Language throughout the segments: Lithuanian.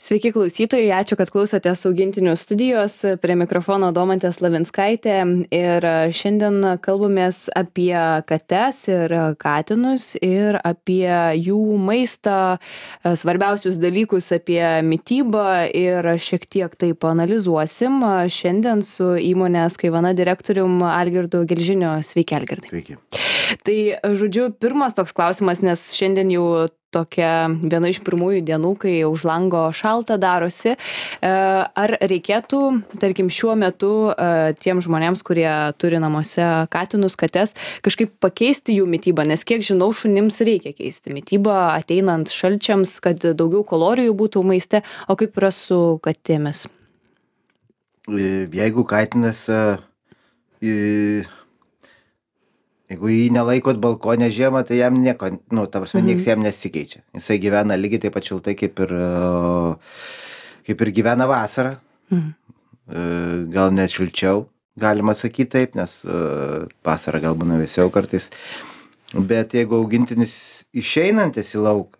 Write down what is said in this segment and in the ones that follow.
Sveiki klausytojai, ačiū, kad klausotės augintinių studijos. Prie mikrofono Domantė Slavinskaitė ir šiandien kalbamės apie kates ir katinus ir apie jų maistą, svarbiausius dalykus apie mitybą ir šiek tiek tai paanalizuosim šiandien su įmonės Kaivana direktorium Algirdu Gelžiniu. Sveiki, Algirdai. Sveiki. Tai, žodžiu, pirmas toks klausimas, nes šiandien jau tokia viena iš pirmųjų dienų, kai už lango šalta darosi. Ar reikėtų, tarkim, šiuo metu tiem žmonėms, kurie turi namuose katinus, kates, kažkaip pakeisti jų mitybą, nes kiek žinau, šunims reikia keisti mitybą ateinant šalčiams, kad daugiau kalorijų būtų maiste, o kaip yra su katėmis? Jeigu katinas, jeigu jį nelaikot balkone žiemą, tai jam nieko, nieks jam nesikeičia. Jisai gyvena lygiai taip pat šiltai, kaip ir gyvena vasarą. Gal net šilčiau, galima sakyti taip, nes vasarą gal būna vėsiau kartais. Bet jeigu augintinis išeinantis į lauką,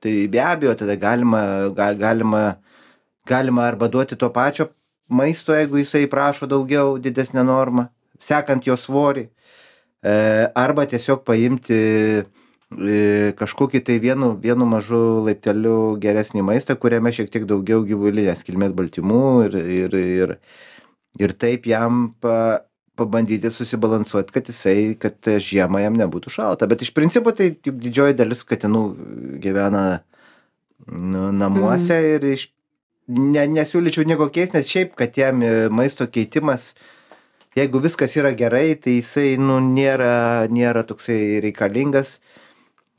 tai be abejo tada galima arba duoti to pačio maisto, jeigu jisai prašo daugiau, didesnę normą, sekant jo svorį. Arba tiesiog paimti kažkokį tai vienu mažu laipteliu geresnį maistą, kuriame šiek tiek daugiau gyvulinės kilmės baltymų ir taip jam pabandyti susibalansuoti, kad žiemą jam nebūtų šalta. Bet iš principo tai tik didžioji dalis katinų gyvena namuose ir nesiūlyčiau nieko keisti, nes šiaip katėm maisto keitimas, jeigu viskas yra gerai, tai jisai nėra toksai reikalingas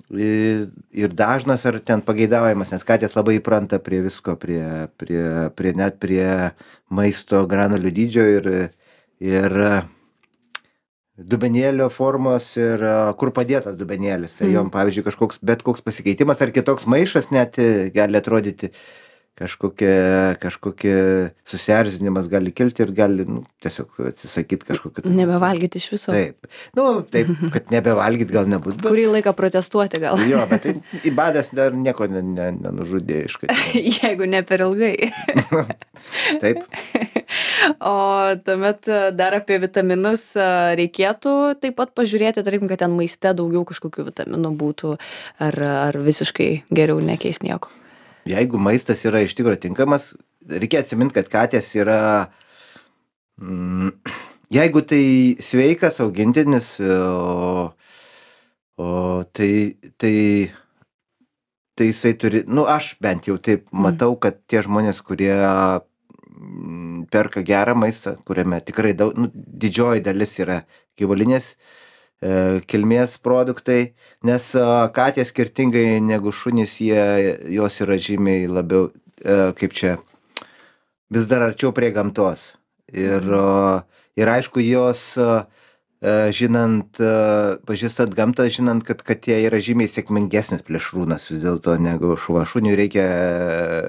ir dažnas ar ten pageidaujamas, nes katės labai įpranta prie visko, net prie maisto granulių dydžio ir dubenėlio formos ir kur padėtas dubenėlis. Tai jom, pavyzdžiui, bet koks pasikeitimas ar kitoks maišas net gali atrodyti kažkokie susierzinimas gali kilti ir gali tiesiog atsisakyti kažkokio. Nebevalgyti iš viso. Taip. Taip, kad nebevalgyti gal nebus. Bet... Kurį laiką protestuoti gal. Jo, bet tai įbadas dar nieko nenužudė iš katės. Jeigu ne per ilgai. Taip. O tuomet dar apie vitaminus reikėtų taip pat pažiūrėti, tarkim, kad ten maiste daugiau kažkokių vitaminų būtų, ar visiškai geriau nekeis nieko. Jeigu maistas yra iš tikrųjų tinkamas, reikia atsiminti, kad katės yra, jeigu tai sveikas augintinis, tai jisai turi, aš bent jau taip matau, kad tie žmonės, kurie perka gerą maistą, kuriame tikrai didžioji dalis yra gyvulinės kilmės produktai, nes katės skirtingai negu šunys, jos yra žymiai labiau, vis dar arčiau prie gamtos. Ir aišku, jos, pažįstant gamtą, žinant, kad katė yra žymiai sėkmingesnis plėšrūnas vis dėlto negu šuva. Šuniui reikia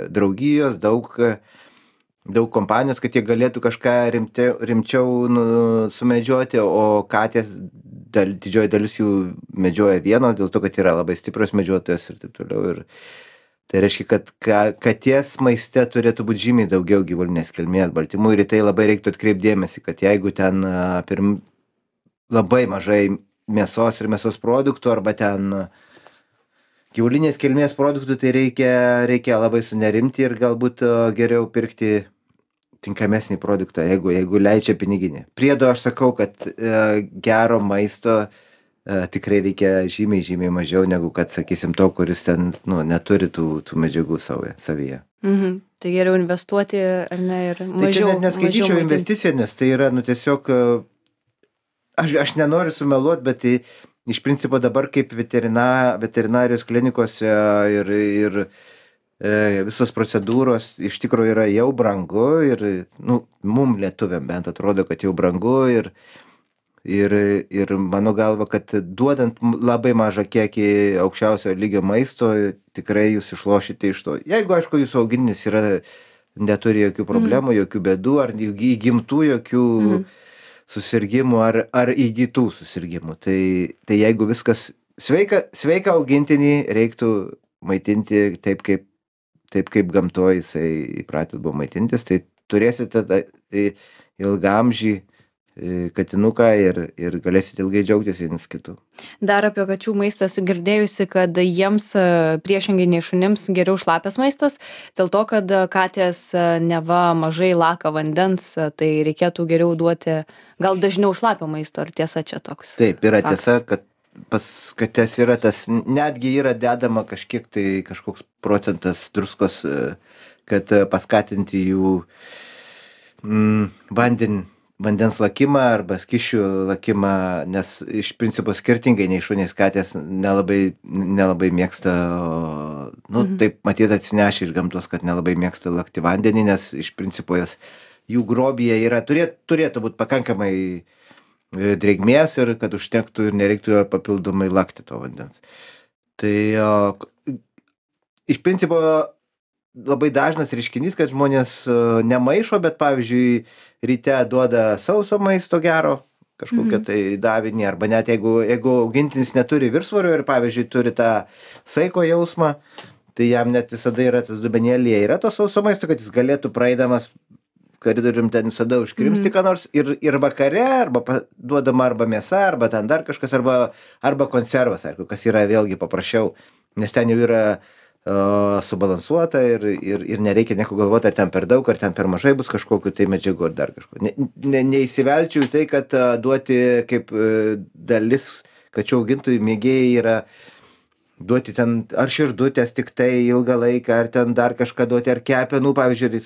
draugijos, daug kompanijos, kad jie galėtų kažką rimčiau sumedžioti, o katės didžioji dalis jų medžioja vienos, dėl to, kad yra labai stiprios medžiotojas ir taip toliau. Ir tai reiškia, kad katės maiste turėtų būti žymiai daugiau gyvulinės kilmės baltymų ir į tai labai reiktų atkreipdėmėsi, kad jeigu ten labai mažai mėsos ir mėsos produktų arba ten gyvulinės kilmės produktų, tai reikia labai sunerimti ir galbūt geriau pirkti tinkamesnį produktą, jeigu leidžia piniginė. Priedo aš sakau, kad gero maisto tikrai reikia žymiai mažiau negu kad, sakysim, to, kuris ten neturi tų medžiagų savyje. Tai geriau investuoti ar ne ir mažiau. Tai čia neskaityčiau investiciją, nes tai yra, tiesiog, aš nenoriu sumeluoti, bet tai iš principo dabar kaip veterinarijos klinikose ir visos procedūros iš tikrųjų yra jau brangu ir mum lietuviam bent atrodo, kad jau brangu ir mano galva, kad duodant labai mažą kiekį aukščiausio lygio maisto, tikrai jūs išlošite iš to. Jeigu, aišku, jūsų augintinis neturi jokių problemų, jokių bėdų, ar įgimtų jokių susirgimų, ar įgytų susirgimų. Tai jeigu viskas sveika augintinį reiktų maitinti taip, kaip taip kaip gamtoj jisai įpratęs buvo maitintis, tai turėsite ilgaamžį katinuką ir galėsite ilgai džiaugtis vienas kitu. Dar apie kačių maistą esu girdėjusi, kad jiems priešingai nei šunims geriau šlapias maistas, dėl to, kad katės neva mažai laka vandens, tai reikėtų geriau duoti gal dažniau šlapio maisto, ar tiesa čia toks? Taip, yra faktas? tiesa, kad pas kates yra tas, netgi yra dedama kažkoks procentas druskos, kad paskatinti jų vandens lakimą arba skysčių lakimą, nes iš principo skirtingai nei šunys katės nelabai mėgsta, taip matyt atsinešę iš gamtos, kad nelabai mėgsta lakti vandenį, nes iš principo jų grobyje yra, turėtų būti pakankamai drėgmės ir kad užtektų ir nereiktų papildomai lakti to vandens. Tai iš principo labai dažnas reiškinys, kad žmonės nemaišo, bet pavyzdžiui ryte duoda sauso maisto gero, kažkokią tai davinį, arba net jeigu augintinis neturi viršsvorio ir pavyzdžiui turi tą saiko jausmą, tai jam net visada yra tas dubenėlyje, yra to sauso maisto, kad jis galėtų praeidamas koridorium ten visada užkrimsti ką nors ir vakare arba duodama arba mėsa, arba ten dar kažkas, arba konservas, aišku, kas yra vėlgi paprasčiau, nes ten jau yra subalansuota ir nereikia nieko galvoti, ar ten per daug, ar ten per mažai bus kažkokiu tai medžiagų ar dar kažko. Neįsivelčiau į tai, kad duoti kaip dalis kačių augintojų mėgėjai yra duoti ten ar širdutės tik tai ilgą laiką, ar ten dar kažką duoti, ar kepenų, pavyzdžiui,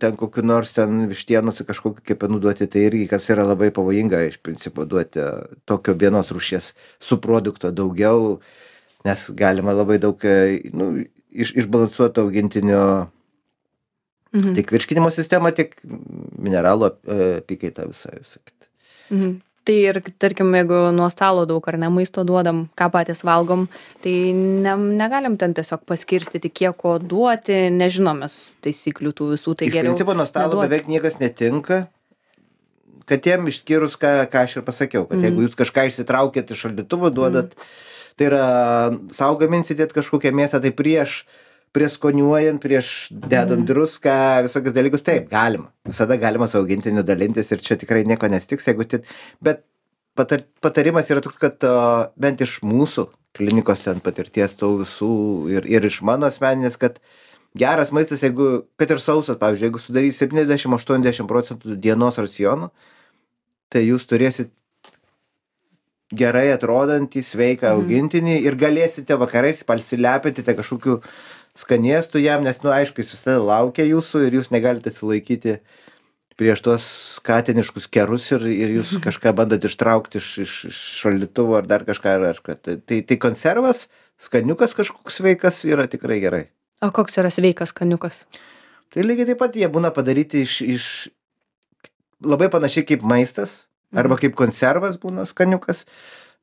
ten kokiu nors ten vištienos kažkokiu kepenų duoti, tai irgi kas yra labai pavojinga iš principo duoti tokio vienos rūšies subprodukto daugiau, nes galima labai daug išbalansuoto augintinio tiek virškinimo sistemą, tiek mineralų apykaitą visą kitą. Tai ir, tarkim, jeigu nuo stalo daug ar ne maisto duodam, ką patys valgom, tai negalim ten tiesiog paskirstyti, kiek ko duoti, nežinom mes taisyklių tų visų, tai geriau. Iš principo nuo stalo beveik niekas netinka, katėm išskyrus, ką aš ir pasakiau, kad jeigu jūs kažką išsitraukėt iš šaldytuvo, duodat, tai yra sau gaminsitėt kažkokią mėsą, tai prieš skoniuojant, prieš dedant druską, visokius dalykus, taip, galima. Visada galima su augintiniu dalintis ir čia tikrai nieko nestiks, bet patarimas yra toks, kad bent iš mūsų klinikos ten patirties tų visų ir iš mano asmeninės, kad geras maistas, jeigu, kad ir sausas, pavyzdžiui, jeigu sudarys 70-80% dienos racionų, tai jūs turėsit gerai atrodantį, sveiką augintinį ir galėsite vakarais pasilepinti kažkokiu skanėstų jam, nes, aišku, jis visada laukia jūsų ir jūs negalite atsilaikyti prieš tuos katiniškus kerus ir jūs kažką bandot ištraukti iš šaldytuvo ar dar kažką. Tai konservas, skaniukas kažkoks sveikas yra tikrai gerai. O koks yra sveikas skaniukas? Tai lygiai taip pat jie būna padaryti iš labai panašiai kaip maistas, arba kaip konservas būna skaniukas,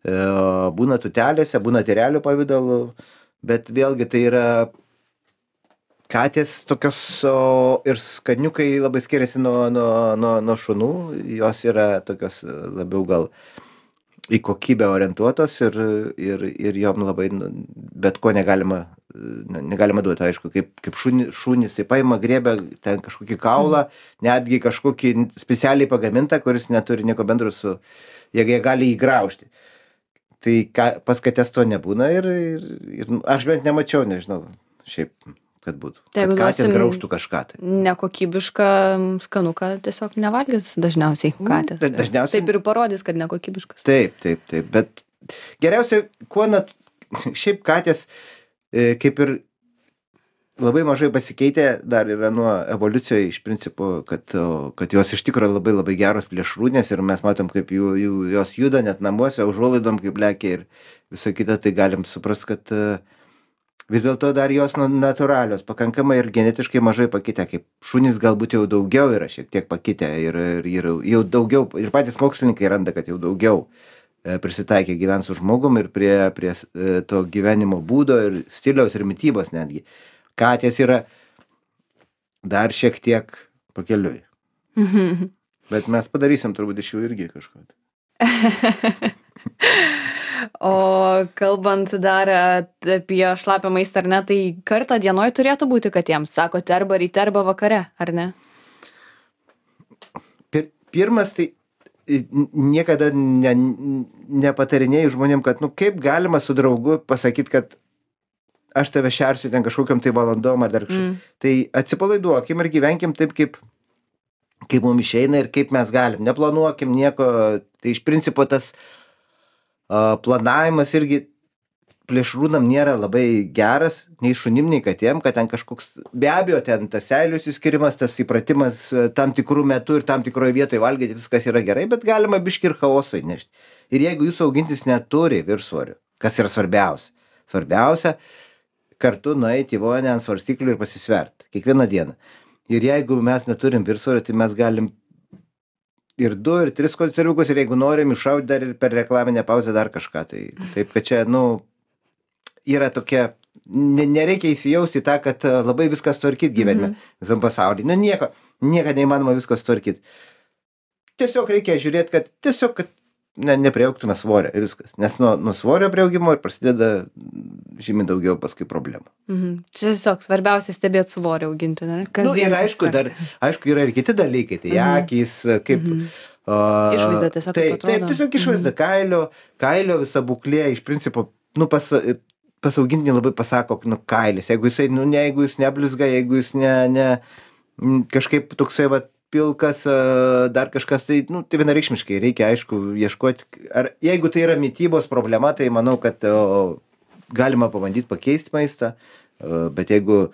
būna tutelėse, būna tyrelių pavidalu, bet vėlgi tai yra katės tokios ir skaniukai labai skiriasi nuo šunų, jos yra tokios labiau gal į kokybę orientuotos ir jom labai bet ko negalima duoti, aišku, kaip šunys, tai paima, griebia ten kažkokį kaulą, netgi kažkokį specialiai pagamintą, kuris neturi nieko bendro su, jie gali įgraužti. Tai pas kates to nebūna ir aš bent nemačiau, nežinau, šiaip kad būtų. Kad katės graužtų kažką. Tai. Nekokybišką skanuką tiesiog nevalgys dažniausiai katės. Taip ir parodys, kad nekokybiškas. Taip, bet geriausia, šiaip katės kaip ir labai mažai pasikeitė, dar yra nuo evoliucijoje iš principo, kad jos iš tikrųjų labai labai geros plėšrūnės ir mes matom, kaip jos juda net namuose, užuolaidom kaip lekia ir visą kitą, tai galim suprast, kad vis dėlto dar jos natūralios, pakankamai ir genetiškai mažai pakitę, kaip šunys galbūt jau daugiau yra šiek tiek pakitę ir jau daugiau, ir patys mokslininkai randa, kad jau daugiau prisitaikė gyventi su žmogum ir prie to gyvenimo būdo ir stiliaus ir mitybos netgi. Katės yra dar šiek tiek pakeliui. Bet mes padarysim turbūt iš jų irgi kažką. O kalbant dar apie šlapią maistą, ar ne, tai kartą dienoj turėtų būti katėms, sakote, arba ryte, arba vakare, ar ne? Pirmas, tai niekada nepatarinėjau žmonėm, kad, kaip galima su draugu pasakyti, kad aš tave šersiu ten kažkokiam tai valandom ar dar kažkaip. Tai atsipalaiduokim ir gyvenkim taip, kaip mums išeina ir kaip mes galim. Neplanuokim nieko. Tai iš principo tas planavimas irgi plėšrūnam nėra labai geras, nei šunim, nei katėm, kad ten kažkoks, be abejo, ten tas seilių išskyrimas, tas įpratimas tam tikrų metų ir tam tikroje vietoje valgyti, viskas yra gerai, bet galima biškį ir chaoso įnešti. Ir jeigu jūsų augintis neturi viršsvorio, kas yra svarbiausia, kartu nueiti į vonę ant svarstyklių ir pasisverti kiekvieną dieną. Ir jeigu mes neturim viršsvorio, tai mes galim ir 2, ir 3 konserviukus, ir jeigu norim iššauti dar ir per reklaminę pauzę dar kažką. Tai taip, kad čia, yra tokia, nereikia įsijausti į tą, kad labai viskas tvarkyti gyvenime visam pasaulyje. Nieko neįmanoma viskas tvarkyti. Tiesiog reikia žiūrėti, kad nepriaugtume svorio ir viskas. Nes nuo svorio priaugimo ir prasideda žymiai daugiau paskui problemų. Čia tiesiog svarbiausia stebėti svorio auginti, ne? Ir aišku, yra ir kiti dalykai, tai akys, kaip... Išvaizda tiesiog kaip atrodo. Taip, tiesiog išvaizda, kailio visa būklė, iš principo, pas augintinį labai pasako, kailis. Jeigu jis neblizga, jeigu jis kažkaip toksai, pilkas, dar kažkas, tai vienareikšmiškai reikia, aišku, ieškoti. Ar jeigu tai yra mitybos problema, tai manau, kad galima pabandyti pakeisti maistą, bet jeigu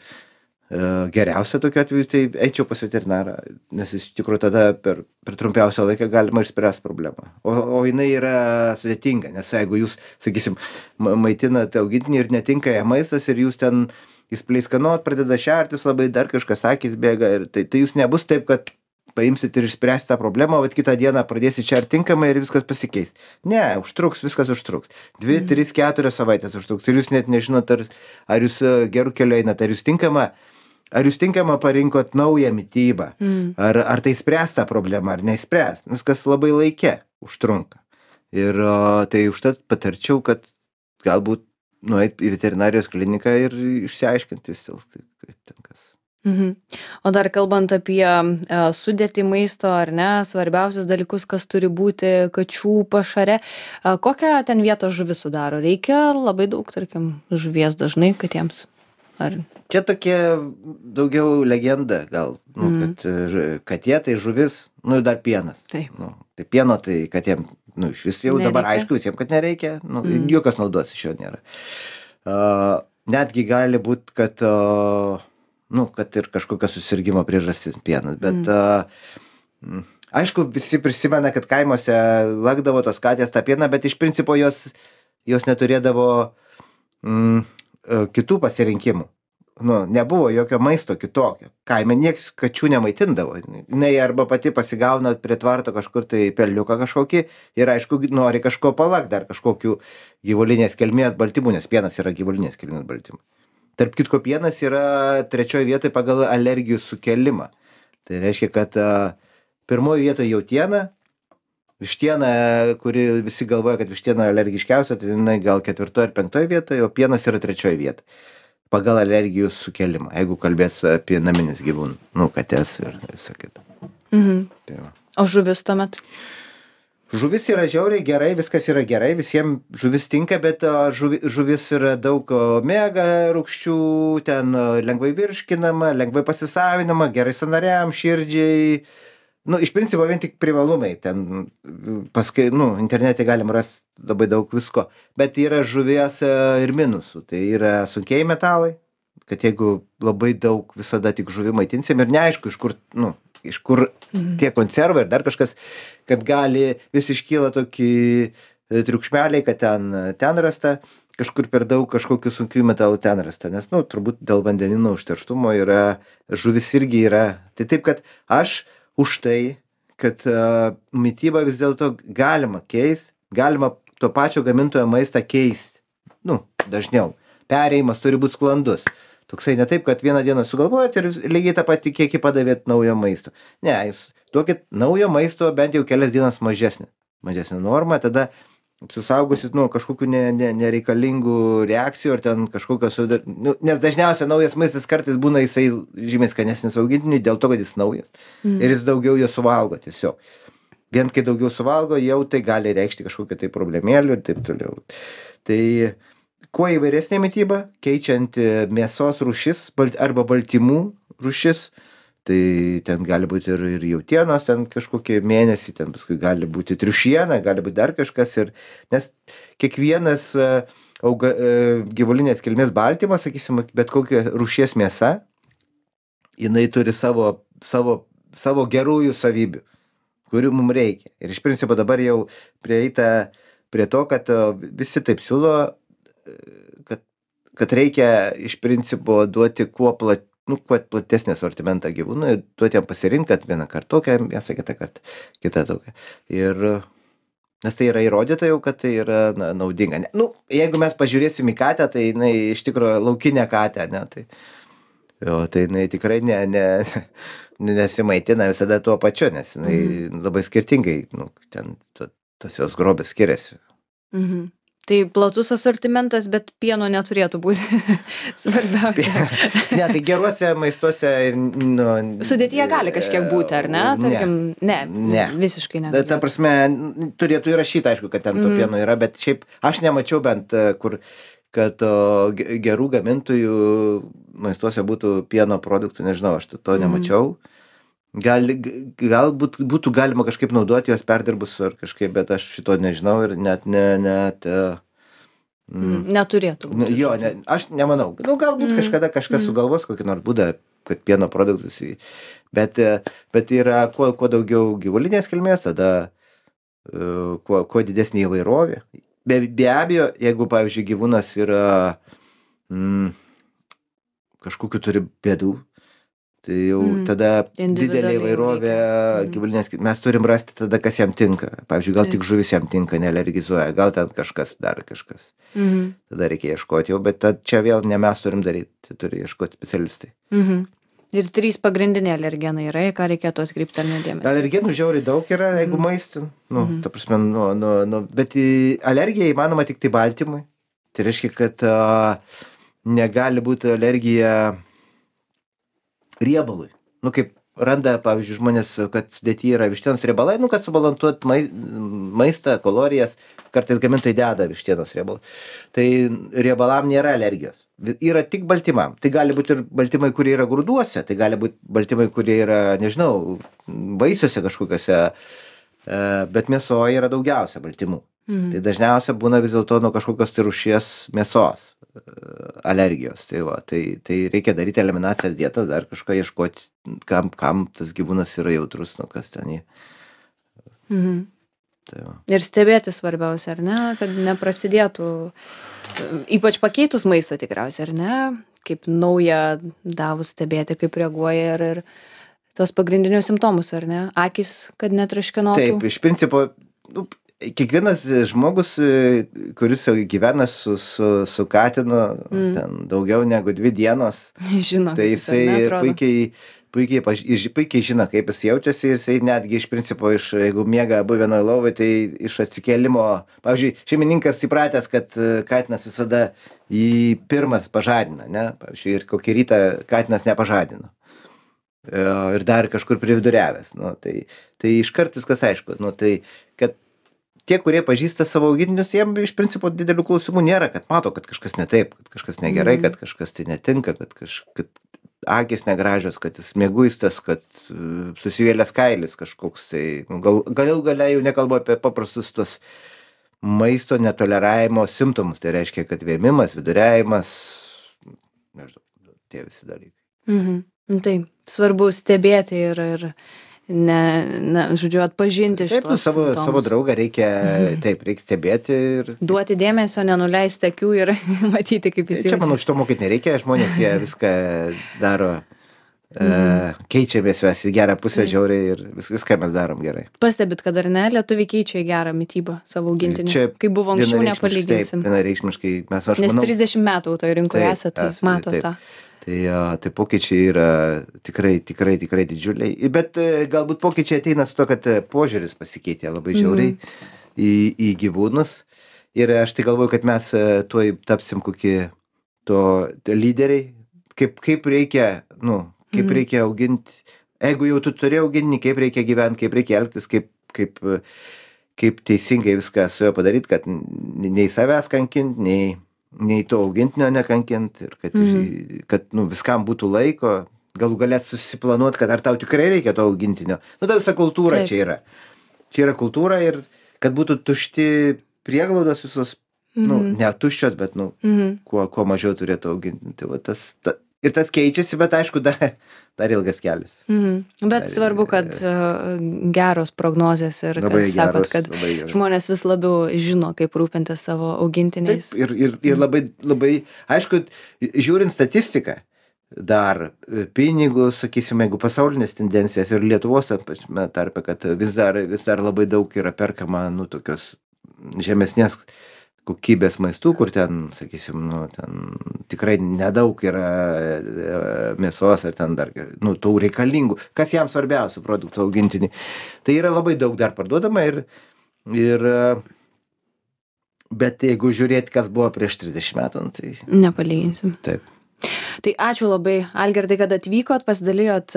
geriausia tokiu atveju, tai eičiau pas veterinarą, nes iš tikrųjų tada per trumpiausią laiką galima išspręsti problemą. O jinai yra sudėtinga, nes jeigu jūs, sakysim, maitinate augintinį ir netinka jam maistas ir jūs ten jis pleiskanot, pradeda šertis labai, dar kažkas akys bėga, ir tai jūs nebus taip, kad paimsit ir išspręsti tą problemą, bet kitą dieną pradėsit šerti tinkamai ir viskas pasikeis. Ne, viskas užtruks. 2, 3, 4 savaitės užtruks. Ir jūs net nežinot, ar jūs gerų keliu einat, ar jūs tinkamą parinkot naują mitybą, ar tai spręs tą problemą, ar neįspręs. Viskas labai laike užtrunka. Ir tai užtat patarčiau, kad galbūt nueit į veterinarijos kliniką ir išsiaiškinti vis dėlto, kaip ten kas. O dar kalbant apie sudėtį maisto, ar ne, svarbiausius dalykus, kas turi būti kačių pašare, kokią ten vietą žuvis sudaro? Reikia labai daug, tarkim, žuvies dažnai katėms? Ar... Čia tokia daugiau legenda gal, kad katė tai žuvis, ir dar pienas. Taip. Tai pieno tai katėm, iš vis jau nereikia. Dabar aišku visiems, kad nereikia, jokios naudos iš jo nėra. Netgi gali būti, kad ir kažkokia susirgimo priežastis pienas, bet aišku, visi prisimena, kad kaimuose lakdavo tos katės tą pieną, bet iš principo jos neturėdavo kitų pasirinkimų. Nebuvo jokio maisto kitokio. Kaime nieks kačių nemaitindavo. Jinai arba pati pasigauna prie tvarto kažkur tai pelniuką kažkokį ir aišku nori kažko palakt, dar kažkokių gyvulinės kilmės baltymų, nes pienas yra gyvulinės kilmės baltymų. Tarp kitko, pienas yra 3 vietoje pagal alergijų sukelimą. Tai reiškia, kad pirmoje vietoje jautiena, vištiena, kuri visi galvoja, kad vištiena alergiškiausia, tai jinai gal 4 ar 5 vietoje, o pienas yra 3 vietoje pagal alergijų sukelimą, jeigu kalbės apie naminius gyvūnus, kates ir visą kitą. Tai va. O žuvis tuomet? Žuvis yra žiauriai gerai, viskas yra gerai, visiems žuvis tinka, bet žuvis yra daug omega rūgščių, ten lengvai virškinama, lengvai pasisavinama, gerai sąnariam, širdžiai. Iš principo vien tik privalumai, ten paskui, internete galim rasti labai daug visko, bet yra žuvies ir minusų, tai yra sunkieji metalai, kad jeigu labai daug visada tik žuvį maitinsim ir neaišku, iš kur tie konservai ir dar kažkas, kad gali vis iškyla tokį triukšmeliai, kad ten rasta, kažkur per daug kažkokių sunkių metalų ten rasta, nes, turbūt dėl vandenino užterštumo žuvis irgi yra. Tai taip, kad aš už tai, kad mitybą vis dėlto galima keisti, galima to pačio gamintojo maistą keisti, dažniau. Perėjimas turi būti sklandus. Toksai ne taip, kad vieną dieną sugalvojat ir lygiai tą patį kiekį padavėt naujo maisto. Ne, jūs duokit naujo maisto bent jau kelias dienas mažesnė normą, tada apsisaugosit nuo kažkokių nereikalingų reakcijų ar ten kažkokios, nes dažniausiai naujas maistas kartais būna jisai žymiai skanesnis augintiniui dėl to, kad jis naujas ir jis daugiau jo suvalgo tiesiog. Vien kai daugiau suvalgo, jau tai gali reikšti kažkokią tai problemėlių ir taip toliau. Tai kuo įvairesnė mityba, keičiant mėsos rūšis arba baltymų rūšis, tai ten gali būti ir jautienos, ten kažkokie mėnesį, ten paskui gali būti triušiena, gali būti dar kažkas. Nes kiekvienas gyvulinės kilmės baltymas, sakysim, bet kokia rūšies mėsa, jinai turi savo gerųjų savybių, kurių mums reikia. Ir iš principo dabar jau prieita prie to, kad visi taip siūlo, kad reikia iš principo duoti kuo platesnį asortimentą gyvūnui, duoti jam pasirinkti, kad vieną kartą tokią mėsą, kitą kartą kitą tokią. Nes tai yra įrodyta jau, kad tai yra naudinga. Jeigu mes pažiūrėsim į katę, tai jinai iš tikrųjų laukinė katė, ne? Tai jinai tikrai nesimaitina visada tuo pačiu, nes jinai labai skirtingai, ten tas jos grobis skiriasi. Tai platus asortimentas, bet pieno neturėtų būti svarbiausia. Ne, tai geruose maistuose... Sudėtyje gali kažkiek būti, ar ne? Tarkim, ne, visiškai negali. Ta prasme, turėtų įrašyti, aišku, kad ten to pieno yra, bet šiaip aš nemačiau bent, kad gerų gamintojų maistuose būtų pieno produktų, nežinau, aš to nemačiau. Galbūt būtų galima kažkaip naudoti juos perdirbus ar kažkaip, bet aš šito nežinau ir net neturėtų būti. Jo, aš nemanau. Galbūt kažkada kažkas sugalvos kokį nors būdą, kad pieno produktus, bet yra kuo daugiau gyvulinės kilmės, tada kuo didesnė įvairovė. Be abejo, jeigu, pavyzdžiui, gyvūnas yra kažkokiu turi bėdų, tai jau tada didelė įvairovė gyvulinės, mes turim rasti tada, kas jam tinka. Pavyzdžiui, gal tik žuvis jam tinka, nealergizuoja, gal ten dar kažkas. Tada reikia ieškoti jau, bet čia vėl ne mes turim daryti, tai turi ieškoti specialistai. Ir 3 pagrindiniai alergenai yra, ką reikėtų atkreipti ar nedėmesį? Alergenų žiauriai daug yra, jeigu maistin. Ta prasme, bet alergija įmanoma tik tai baltymui. Tai reiškia, kad negali būti alergija riebalui. Kaip randa, pavyzdžiui, žmonės, kad sudėtyje yra vištienos riebalai, kad subalansuot maistą, kalorijas, kartais gamintojai deda vištienos riebalą. Tai riebalam nėra alergijos. Yra tik baltymam. Tai gali būti ir baltymai, kurie yra grūduose, tai gali būti baltymai, kurie yra, nežinau, vaisiuose kažkokiuose, bet mėsoje yra daugiausia baltymų. Tai dažniausia būna vis dėlto nuo kažkokios tai rūšies mėsos alergijos. Tai reikia daryti eliminacijas dietas, dar kažką ieškoti, kam tas gyvūnas yra jautrus, kas ten jį. Ir stebėti svarbiausia, ar ne, kad neprasidėtų, ypač pakeitus maistą tikriausiai, ar ne, kaip naują davus stebėti, kaip reaguoja ir tos pagrindinius simptomus, ar ne, akys, kad netraškinotų. Taip, iš principo, kiekvienas žmogus, kuris gyvena su katinu ten daugiau negu 2 dienos, žino, tai jisai puikiai žino, kaip jis jaučiasi ir jisai netgi iš principo, jeigu miega abu vienoje lovoje, tai iš atsikėlimo, pavyzdžiui, šeimininkas įpratęs, kad katinas visada jį pirmas pažadina, ne? Pavyzdžiui, ir kokį rytą katinas nepažadino. Ir dar kažkur prividuriavęs. Tai iškart viskas aišku. Tai kad tie, kurie pažįsta savo augintinius, jiem iš principo didelių klausimų nėra, kad mato, kad kažkas ne taip, kad kažkas negerai, kad kažkas tai netinka, kad akys negražios, kad jis mieguistas, kad susivėlęs kailis kažkoks. Tai galia jau nekalbu apie paprastus tos maisto netoleravimo simptomus. Tai reiškia, kad vėmimas, viduriavimas, nežinau, tie visi dalykai. Taip, svarbu stebėti ir žodžiu, atpažinti šitos simptomus. Savo draugą reikia stebėti ir... Duoti dėmesio, nenuleisti akių ir matyti, kaip jis jaučiasi. Čia, manau, šito mokyti nereikia, žmonės jie viską daro, keičiamės mes į gerą pusę žiauriai ir viską mes darom gerai. Pastebit, kad ar ne, lietuviai keičia į gerą mitybą savo augintinį, kaip buvo anksčiau, nepalyginsim. Taip, vienareikšmiškai. Nes 30 metų toje rinkoje esate, mato tą. Tai pokyčiai yra tikrai didžiuliai, bet galbūt pokyčiai ateina su to, kad požiūris pasikeitė labai žiauriai į gyvūnus Ir aš tai galvoju, kad mes tuoj tapsim kokie lyderiai, kaip reikia, kaip reikia auginti. Jeigu jau tu turi auginti, kaip reikia gyventi, kaip reikia elgtis, kaip teisingai viską su juo padaryti, kad nei savęs kankint, nei to augintinio nekankint, ir kad viskam būtų laiko, galų galėt susiplanuoti, kad ar tau tikrai reikia to augintinio. Ta visa kultūra čia yra. Čia yra kultūra ir kad būtų tušti prieglaudos visos, ne tuščios, bet kuo mažiau turėtų auginti. Ir tas keičiasi, bet aišku, dar ilgas kelias. Bet svarbu, kad geros prognozės ir kad sakot, kad žmonės vis labiau žino, kaip rūpintis savo augintiniais. Taip, ir labai, aišku, žiūrint statistiką, dar pinigus, sakysime, jeigu pasaulinės tendencijas ir Lietuvos tarpe, kad vis dar labai daug yra perkama, tokios žemesnės kokybės maistų, kur ten, sakysim, ten tikrai nedaug yra mėsos ir ten dar, tų reikalingų, kas jam svarbiausių produktų augintinį. Tai yra labai daug dar parduodama bet jeigu žiūrėti, kas buvo prieš 30 metų, tai... Nepalyginsim. Taip. Tai ačiū labai, Algirdai, kad atvykot, pasidalijot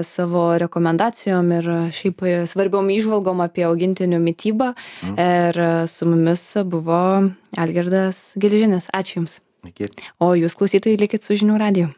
savo rekomendacijom ir šiaip svarbiom įžvalgom apie augintinių mitybą. Ir su mumis buvo Algirdas Gelžinis. Ačiū Jums. Iki. O jūs, klausytojai, likit su Žinių radiju.